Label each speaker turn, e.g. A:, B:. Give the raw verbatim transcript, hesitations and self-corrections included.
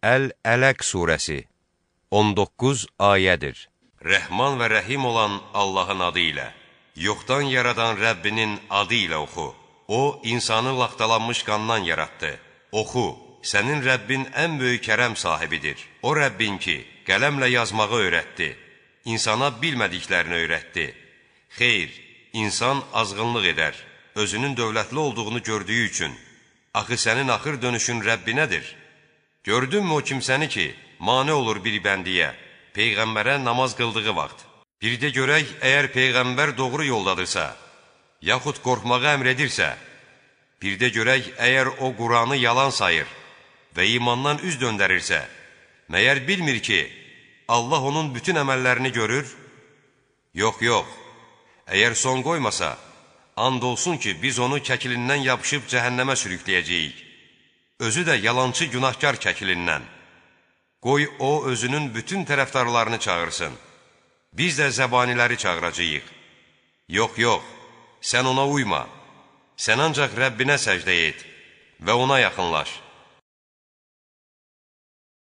A: Əl-Ələq surəsi on doqquz ayədir. Rəhman və rəhim olan Allahın adı ilə, yoxdan yaradan Rəbbinin adı ilə oxu. O, insanı laxtalanmış qandan yaratdı. Oxu, sənin Rəbbin ən böyük kərəm sahibidir. O Rəbbin ki, qələmlə yazmağı öyrətdi, insana bilmədiklərini öyrətdi. Xeyr, insan azğınlıq edər, özünün dövlətli olduğunu gördüyü üçün. Axı sənin axır dönüşün Rəbbinədir. Gördünmü o kimsəni ki, mane olur bir bəndiyə, Peyğəmbərə namaz qıldığı vaxt. Bir də görək, əgər Peyğəmbər doğru yoldadırsa, yaxud qorxmağı əmr edirsə, bir də görək, əgər o Quranı yalan sayır və imandan üz döndərirsə, məyər bilmir ki, Allah onun bütün əməllərini görür? Yox, yox, əgər son qoymasa, and olsun ki, biz onu kəkilindən yapışıb cəhənnəmə sürükləyəcəyik. Özü də yalancı günahkar kəkilindən. Qoy o, özünün bütün tərəfdarlarını çağırsın. Biz də zəbaniləri çağıracağıq. Yox, yox, sən ona uyma. Sən ancaq Rəbbinə səcdə et və ona yaxınlaş.